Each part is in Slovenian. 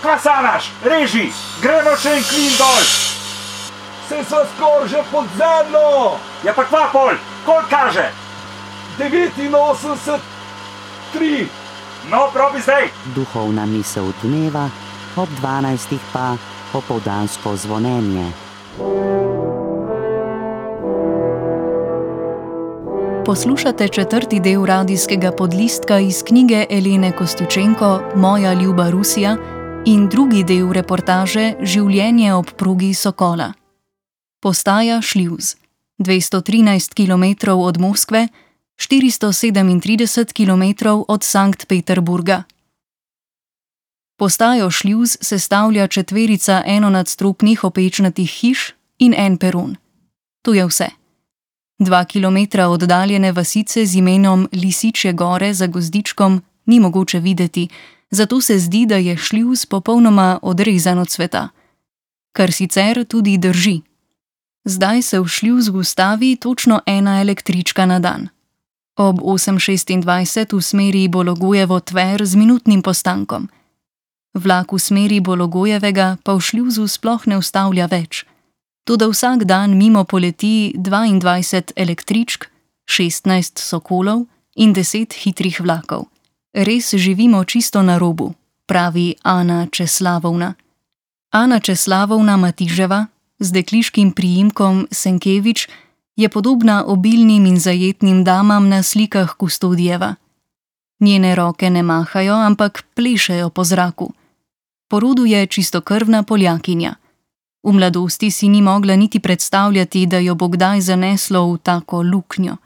Kva sanaš? Reži, gremo še en klin dol. Se sva skoraj že pod zemljo. Ja pa kva pol, koliko kaže? 89,3. No, probi zdaj. Duhovna misel dneva, ob 12 pa popoldansko zvonjenje. Poslušate četrti del radijskega podlistka iz knjige Elene Kostjučenko Moja ljuba Rusija in drugi del reportaže Življenje ob progi Sokola. Postaja Šljuz, 213 km od Moskve, 437 km od Sankt Peterburga. Postajo Šljuz sestavlja četverica enonadstropnih opečnatih hiš in en peron. To je vse. 2 kilometra oddaljene vasice z imenom Lisičje gore za gozdičkom ni mogoče videti, zato se zdi, da je Šljuz popolnoma odrezan od sveta. Kar sicer tudi drži. Zdaj se v Šljuz ustavi točno ena električka na dan. Ob 8:26 v smeri Bologojevo-Tver z minutnim postankom. Vlak v smeri Bologojevega pa v Šljuzu sploh ne ustavlja več. Toda vsak dan mimo poleti 22 električk, 16 sokolov in 10 hitrih vlakov. Res živimo čisto na robu, pravi Ana Česlavovna. Ana Česlavovna Matiževa z dekliškim priimkom Senkevič je podobna obilnim in zajetnim damam na slikah Kustodijeva. Njene roke ne mahajo, ampak plešejo po zraku. Po rodu je čistokrvna Poljakinja. V mladosti si ni mogla niti predstavljati, da jo bo kdaj zaneslo v tako luknjo.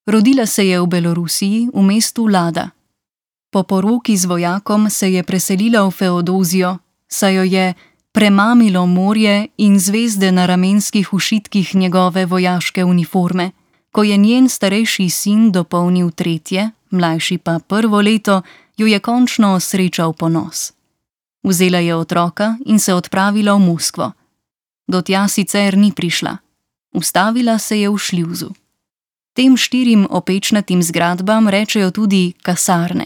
Rodila se je v Belorusiji, v mestu Lada. Po poroki z vojakom se je preselila v Feodozijo, saj jo je premamilo morje in zvezde na ramenskih ušitkih njegove vojaške uniforme. Ko je njen starejši sin dopolnil 3., mlajši pa 1. leto, jo je končno srečal ponos. Vzela je otroka in se odpravila v Moskvo. Do tja sicer ni prišla. Ustavila se je v Šljuzu. Tem 4 opečnatim zgradbam rečejo tudi kasarne.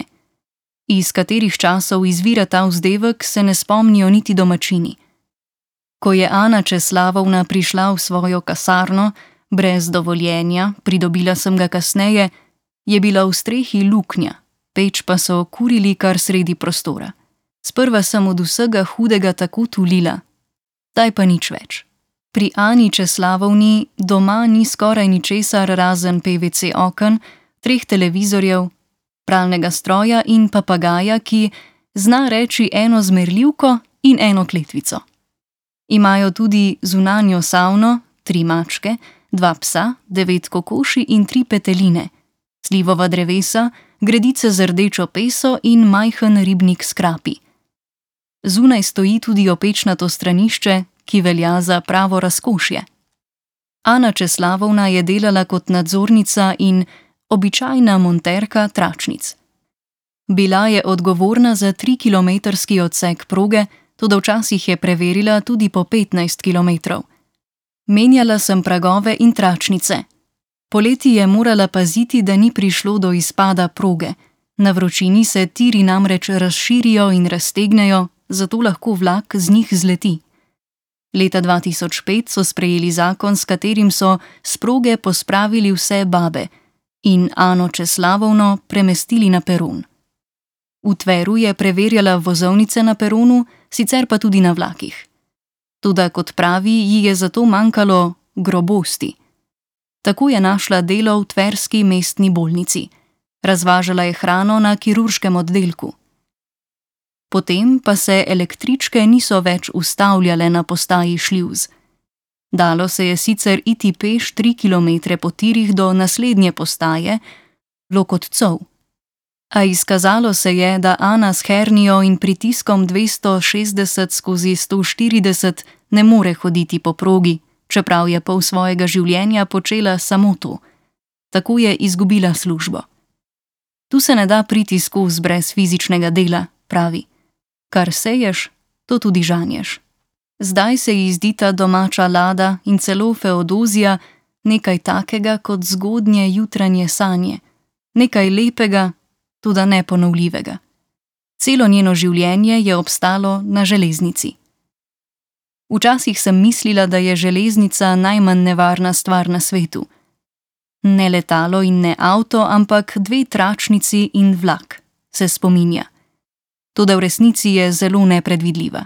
Iz katerih časov izvira ta vzdevek, se ne spomnijo niti domačini. Ko je Ana Česlavovna prišla v svojo kasarno, brez dovoljenja, pridobila sem ga kasneje, je bila v strehi luknja, peč pa so kurili kar sredi prostora. Sprva sem od vsega hudega tako tulila, zdaj pa nič več. Pri Ani Česlavovni doma ni skoraj ničesar razen PVC oken, 3 televizorjev, pralnega stroja in papagaja, ki zna reči eno zmerljivko in eno kletvico. Imajo tudi zunanjo savno, 3 mačke, 2 psa, 9 kokoši in 3 peteline, slivova drevesa, gredice z rdečo peso in majhen ribnik s krapi. Zunaj stoji tudi opečnato stranišče, ki velja za pravo razkošje. Ana Česlavovna je delala kot nadzornica in običajna monterka tračnic. Bila je odgovorna za 3-kilometrski odsek proge, toda včasih je preverila tudi po 15 kilometrov. Menjala sem pragove in tračnice. Poleti je morala paziti, da ni prišlo do izpada proge. Na vročini se tiri namreč razširijo in raztegnejo, zato lahko vlak z njih zleti. Leta 2005 so sprejeli zakon, s katerim so s proge pospravili vse babe in Ano Česlavovno premestili na peron. V Tveru je preverjala vozovnice na peronu, sicer pa tudi na vlakih. Toda, kot pravi, ji je zato manjkalo grobosti. Tako je našla delo v tverski mestni bolnici. Razvažala je hrano na kirurškem oddelku. Potem pa se električke niso več ustavljale na postaji Šljuz. Dalo se je sicer iti peš 3 kilometre po tirih do naslednje postaje, Lokotcov. A izkazalo se je, da Ana s hernijo in pritiskom 260/140 ne more hoditi po progi, čeprav je pol svojega življenja počela samo to. Tako je izgubila službo. Tu se ne da priti skozi brez fizičnega dela, pravi. Kar seješ, to tudi žanješ. Zdaj se ji zdi ta domača Lada in celo Feodozija nekaj takega kot zgodnje jutranje sanje, nekaj lepega, toda neponovljivega. Celo njeno življenje je obstalo na železnici. Včasih sem mislila, da je železnica najmanj nevarna stvar na svetu. Ne letalo in ne avto, ampak 2 tračnici in vlak, se spominja. Toda v resnici je zelo nepredvidljiva.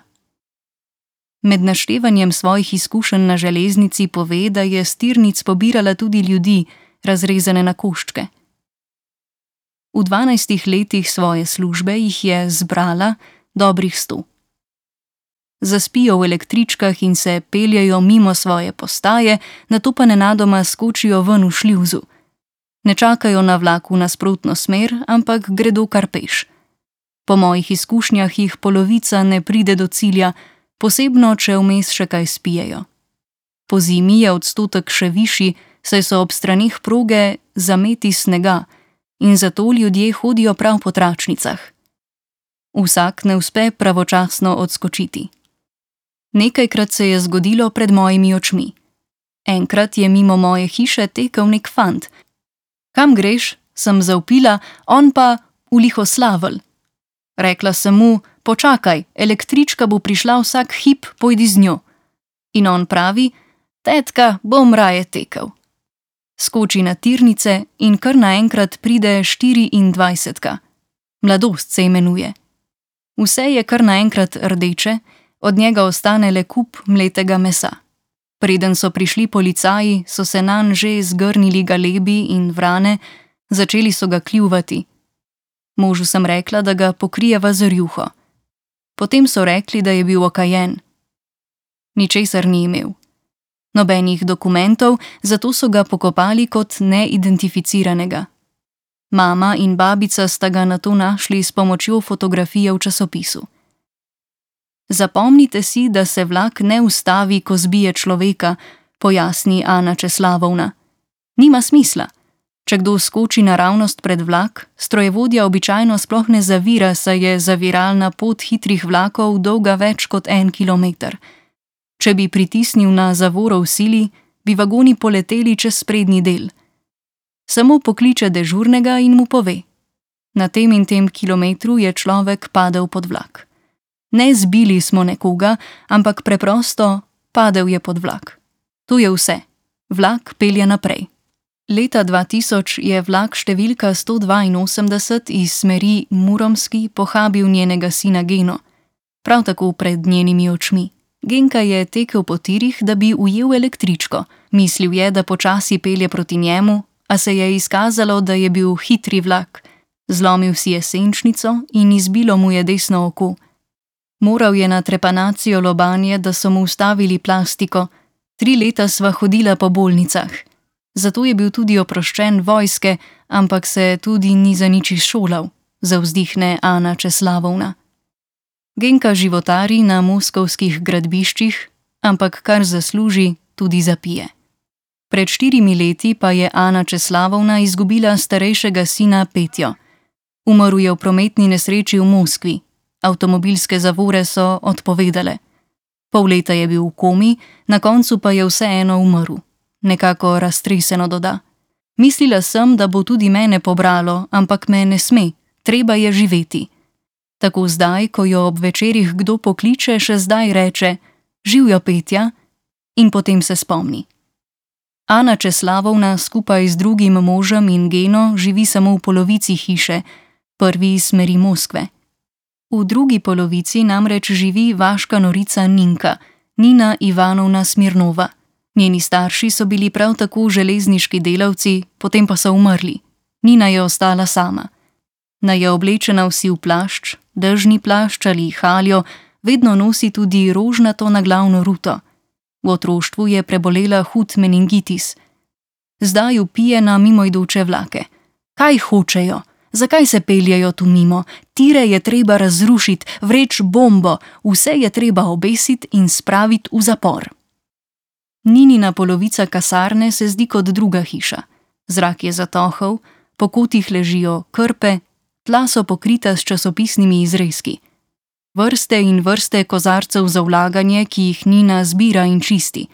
Med naštevanjem svojih izkušenj na železnici pove, da je s tirnic pobirala tudi ljudi, razrezane na koščke. V 12 letih svoje službe jih je zbrala dobrih 100. Zaspijo v električkah in se peljejo mimo svoje postaje, nato pa nenadoma skočijo ven v šljivzu. Ne čakajo na vlak v nasprotno smer, ampak gredo kar peš. Po mojih izkušnjah jih polovica ne pride do cilja, posebno če vmes še kaj spijejo. Po zimi je odstotek še višji, saj so ob straneh proge zameti snega in zato ljudje hodijo prav po tračnicah. Vsak ne uspe pravočasno odskočiti. Nekajkrat se je zgodilo pred mojimi očmi. Enkrat je mimo moje hiše tekel nek fant. Kam greš? Sem zavpila, on pa v Lihoslavelj. Rekla sem mu, počakaj, električka bo prišla vsak hip, pojdi z njo. In on pravi, tetka, bom raje tekel. Skoči na tirnice in kar naenkrat pride 24. Mladost se imenuje. Vse je kar naenkrat rdeče, od njega ostane le kup mletega mesa. Preden so prišli policaji, so se nanj že zgrnili galebi in vrane, začeli so ga kljuvati. Možu sem rekla, da ga pokrijeva z rjuho. Potem so rekli, da je bil okajen. Ničesar ni imel. Nobenih dokumentov, zato so ga pokopali kot neidentificiranega. Mama in babica sta ga nato našli s pomočjo fotografije v časopisu. Zapomnite si, da se vlak ne ustavi, ko zbije človeka, pojasni Ana Česlavovna. Nima smisla. Če kdo skoči naravnost pred vlak, strojevodja običajno sploh ne zavira, saj je zaviralna pot hitrih vlakov dolga več kot 1 kilometer. Če bi pritisnil na zavoro v sili, bi vagoni poleteli čez sprednji del. Samo pokliče dežurnega in mu pove. Na tem in tem kilometru je človek padel pod vlak. Ne zbili smo nekoga, ampak preprosto padel je pod vlak. To je vse. Vlak pelje naprej. Leta 2000 je vlak številka 182 iz smeri Muromski pohabil njenega sina Geno. Prav tako pred njenimi očmi. Genka je tekel po tirih, da bi ujel električko. Mislil je, da počasi pelje proti njemu, a se je izkazalo, da je bil hitri vlak. Zlomil si je senčnico in izbilo mu je desno oko. Moral je na trepanacijo lobanje, da so mu ustavili plastiko. 3 leta sva hodila po bolnicah. Zato je bil tudi oproščen vojske, ampak se tudi ni za nič izšolal, zavzdihne Ana Česlavovna. Genka životari na moskovskih gradbiščih, ampak kar zasluži, tudi zapije. Pred 4 leti pa je Ana Česlavovna izgubila starejšega sina Petjo. Umrl je v prometni nesreči v Moskvi. Avtomobilske zavore so odpovedale. Pol leta je bil v komi, na koncu pa je vseeno umrl. Nekako raztreseno doda. Mislila sem, da bo tudi mene pobralo, ampak me ne sme, treba je živeti. Tako zdaj, ko jo ob večerih kdo pokliče, še zdaj reče, živjo Petja, in potem se spomni. Ana Česlavovna skupaj z drugim možem in Geno živi samo v polovici hiše, prvi iz smeri Moskve. V drugi polovici namreč živi vaška norica Ninka, Nina Ivanovna Smirnova. Njeni starši so bili prav tako železniški delavci, potem pa so umrli. Nina je ostala sama. Na je oblečena v siv plašč, dežni plašč ali haljo, vedno nosi tudi rožnato naglavno ruto. V otroštvu je prebolela hud meningitis. Zdaj vpije na mimoidoče vlake. Kaj hočejo? Zakaj se peljejo tu mimo? Tire je treba razrušiti, vreč bombo, vse je treba obesiti in spraviti v zapor. Ninina polovica kasarne se zdi kot druga hiša. Zrak je zatohel, po kotih ležijo krpe, tla so pokrita s časopisnimi izrezki. Vrste in vrste kozarcev za vlaganje, ki jih Nina zbira in čisti.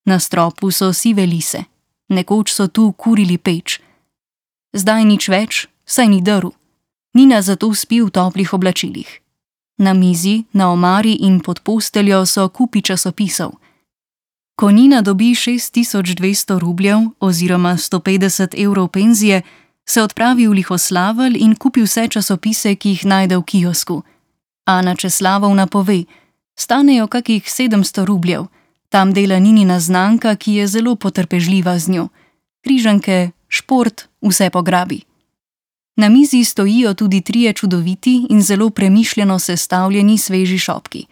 Na stropu so sive lise. Nekoč so tu kurili peč. Zdaj nič več, saj ni drv. Nina zato spi v toplih oblačilih. Na mizi, na omari in pod posteljo so kupi časopisov. Ko Nina dobi 6200 rubljev oziroma 150 evrov penzije, se odpravi v Lihoslavelj in kupi vse časopise, ki jih najde v kiosku. Ana Česlavovna pove, stanejo kakih 700 rubljev, tam dela Ninina znanka, ki je zelo potrpežljiva z njo. Križanke, šport, vse pograbi. Na mizi stojijo tudi 3 čudoviti in zelo premišljeno sestavljeni sveži šopki.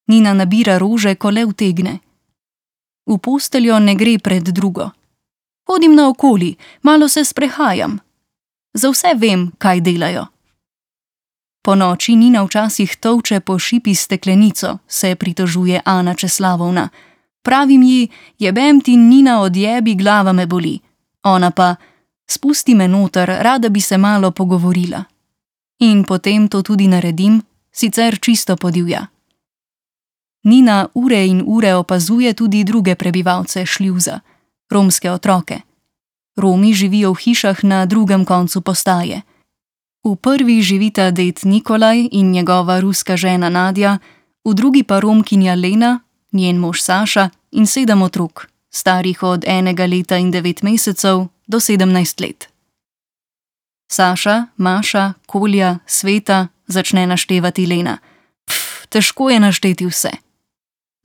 Nina nabira rože, ko le utegne. V posteljo ne gre pred drugo. Hodim naokoli, malo se sprehajam. Za vse vem, kaj delajo. Po noči Nina včasih tolče po šipi steklenico, se pritožuje Ana Česlavovna. Pravim ji, jebem ti, Nina, odjebi, glava me boli. Ona pa, spusti me noter, rada bi se malo pogovorila. In potem to tudi naredim, sicer čisto podivja. Nina ure in ure opazuje tudi druge prebivalce šljuza, romske otroke. Romi živijo v hišah na drugem koncu postaje. V prvi živita ded Nikolaj in njegova ruska žena Nadja, v drugi pa Romkinja Lena, njen mož Saša in 7 otrok, starih od 1 leta in 9 mesecev do 17 let. Saša, Maša, Kolja, Sveta, začne naštevati Lena. Težko je našteti vse.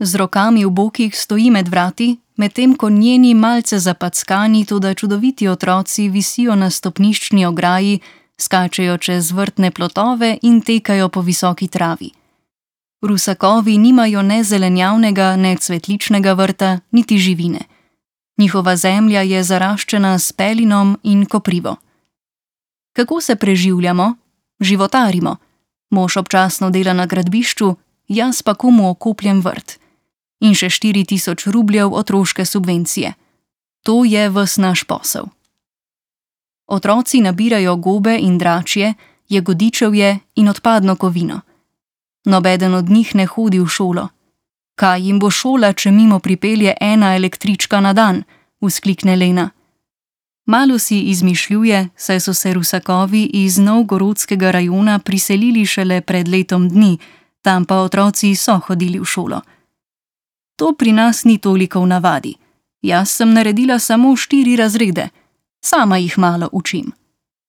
Z rokami v bokih stoji med vrati, medtem ko njeni malce zapackani, toda čudoviti otroci visijo na stopniščni ograji, skačejo čez vrtne plotove in tekajo po visoki travi. Rusakovi nimajo ne zelenjavnega, ne cvetličnega vrta, niti živine. Njihova zemlja je zaraščena s pelinom in koprivo. Kako se preživljamo? Životarimo. Mož občasno dela na gradbišču, jaz pa komu okopljem vrt. In še 4000 rubljev otroške subvencije. To je ves naš posel. Otroci nabirajo gobe in dračje, jagodičevje in odpadno kovino. Nobeden od njih ne hodi v šolo. Kaj jim bo šola, če mimo pripelje 1 električka na dan, vzklikne Lena. Malo si izmišljuje, saj so se Rusakovi iz novgorodskega rajona priselili šele pred letom dni, tam pa otroci so hodili v šolo. To pri nas ni toliko v navadi. Jaz sem naredila samo 4 razrede. Sama jih malo učim.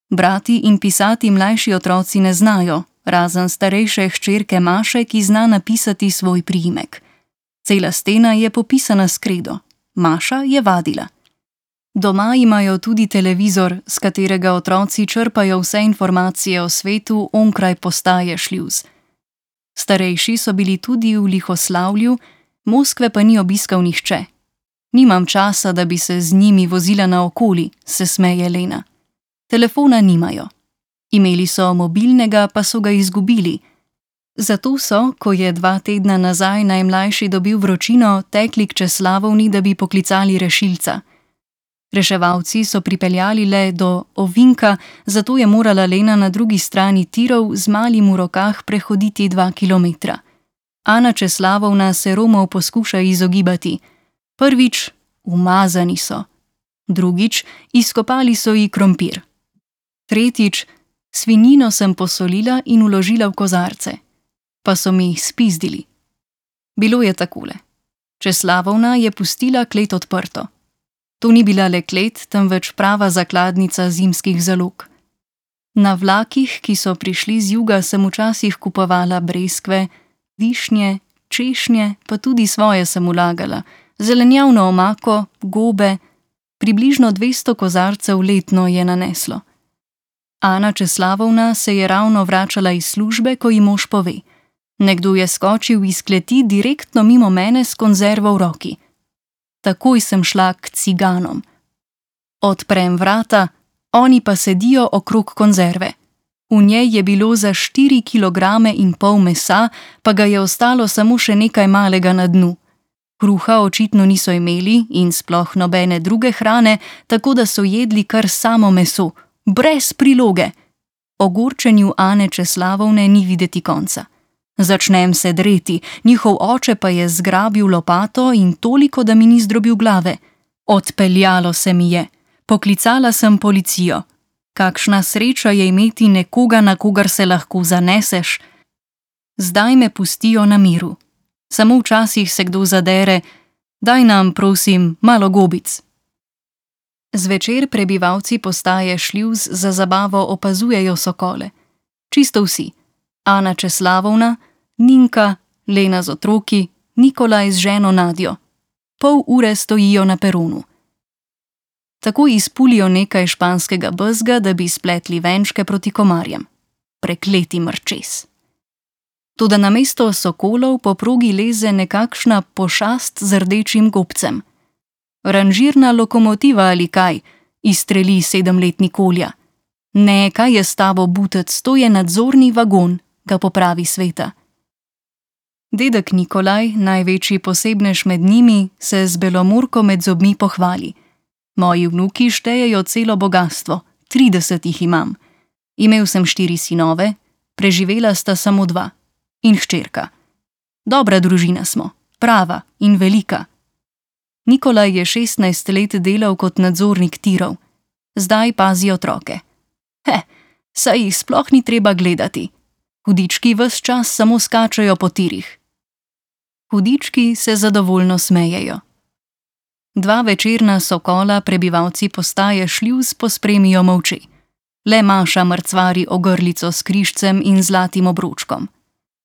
Brati in pisati mlajši otroci ne znajo, razen starejše hčerke Maše, ki zna napisati svoj priimek. Cela stena je popisana s kredo. Maša je vadila. Doma imajo tudi televizor, s katerega otroci črpajo vse informacije o svetu onkraj postaje šljuz. Starejši so bili tudi v Lihoslavlju, Moskve pa ni obiskal nihče. Nimam časa, da bi se z njimi vozila naokoli, se smeje Lena. Telefona nimajo. Imeli so mobilnega, pa so ga izgubili. Zato so, ko je 2 tedna nazaj najmlajši dobil vročino, tekli k Česlavovni, da bi poklicali rešilca. Reševalci so pripeljali le do ovinka, zato je morala Lena na drugi strani tirov z malim v rokah prehoditi 2 kilometra. Ana Česlavovna se Romov poskuša izogibati. Prvič, umazani so. Drugič, izkopali so ji krompir. Tretjič, svinjino sem posolila in vložila v kozarce. Pa so mi jih spizdili. Bilo je takole. Česlavovna je pustila klet odprto. To ni bila le klet, temveč prava zakladnica zimskih zalog. Na vlakih, ki so prišli z juga, sem včasih kupovala breskve, višnje, češnje, pa tudi svoje sem vlagala, zelenjavno omako, gobe, približno 200 kozarcev letno je naneslo. Ana Česlavovna se je ravno vračala iz službe, ko ji mož pove. Nekdo je skočil iz kleti direktno mimo mene s konzervo v roki. Takoj sem šla k ciganom. Odprem vrata, oni pa sedijo okrog konzerve. V njej je bilo za 4,5 kg mesa, pa ga je ostalo samo še nekaj malega na dnu. Kruha očitno niso imeli in sploh nobene druge hrane, tako da so jedli kar samo meso, brez priloge. Ogorčenju Ane Česlavovne ni videti konca. Začnem se dreti, njihov oče pa je zgrabil lopato in toliko, da mi ni zdrobil glave. Odpeljalo se mi je. Poklicala sem policijo. Kakšna sreča je imeti nekoga, na kogar se lahko zaneseš. Zdaj me pustijo na miru. Samo včasih se kdo zadere, daj nam, prosim, malo gobic. Zvečer prebivalci postaje Šljuz za zabavo opazujejo sokole. Čisto vsi. Ana Česlavovna, Ninka, Lena z otroki, Nikolaj z ženo Nadjo. Pol ure stojijo na peronu. Tako izpulijo nekaj španskega bezga, da bi spletli venčke proti komarjem. Prekleti mrčes. Toda namesto sokolov po progi leze nekakšna pošast z rdečim gobcem. Ranžirna lokomotiva ali kaj, izstreli 7-letni Kolja. Ne, kaj je s tabo, butec, to je nadzorni vagon, ga popravi Sveta. Dedek Nikolaj, največji posebnež med njimi, se z belomurko med zobmi pohvali. Moji vnuki štejejo celo bogastvo, 30 jih imam. Imel sem 4 sinove, preživela sta samo 2. In hčerka. Dobra družina smo, prava in velika. Nikolaj je 16 let delal kot nadzornik tirov. Zdaj pazi otroke. Saj jih sploh ni treba gledati. Hudički ves čas samo skačejo po tirih. Hudički se zadovoljno smejejo. 2 večerna sokola prebivalci postaje Šljuz pospremijo molče. Le Maša mrcvari ogrlico s križcem in zlatim obročkom.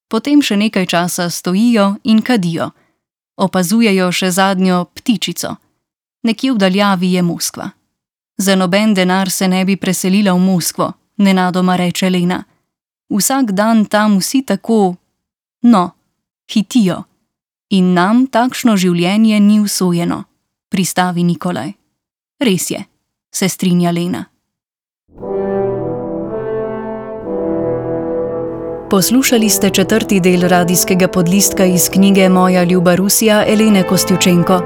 Potem še nekaj časa stojijo in kadijo. Opazujejo še zadnjo ptičico. Nekje v daljavi je Moskva. Za noben denar se ne bi preselila v Moskvo, nenadoma reče Lena. Vsak dan tam vsi tako, hitijo. In nam takšno življenje ni usojeno, pristavi Nikolaj. Res je, se strinja Lena. Poslušali ste 4. del radijskega podlistka iz knjige Moja ljuba Rusija Elene Kostjučenko.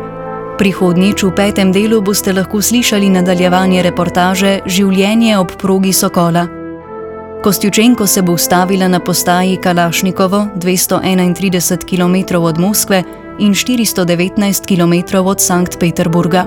Prihodnjič v 5. delu boste lahko slišali nadaljevanje reportaže Življenje ob progi Sokola. Kostjučenko se bo ustavila na postaji Kalašnikovo 231 km od Moskve in 419 km od Sankt Peterburga.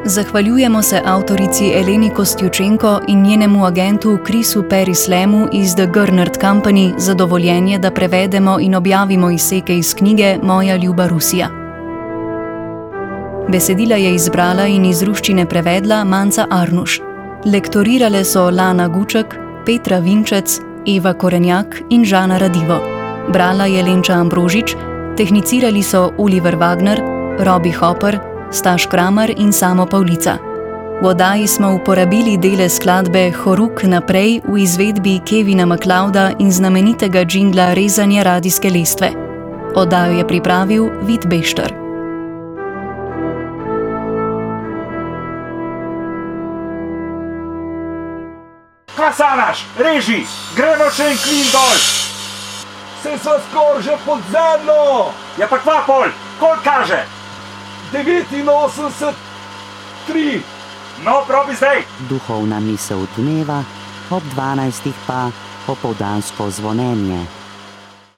Zahvaljujemo se avtorici Eleni Kostjučenko in njenemu agentu Chrisu Perislemu iz The Gernert Company za dovoljenje, da prevedemo in objavimo izseke iz knjige Moja ljuba Rusija. Besedila je izbrala in iz ruščine prevedla Manca Arnuš. Lektorirale so Lana Guček, Petra Vinčec, Eva Korenjak in Žana Radivo. Brala je Lenča Ambrožič, tehnicirali so Oliver Wagner, Robbie Hopper, Staš Kramer in Samo Pavlica. V oddaji smo uporabili dele skladbe Horuk naprej v izvedbi Kevina MacLeoda in znamenitega džingla Rezanje radijske lestve. Oddajo je pripravil Vid Bešter. Kaj sanaš? Reži! Gremo še en klin dol! Se sva skoraj že pod zemljo! Ja pa kva pol? Koliko kaže? 89, 3. No, probi zdaj! Duhovna misel dneva, ob 12. pa opoldansko zvonjenje.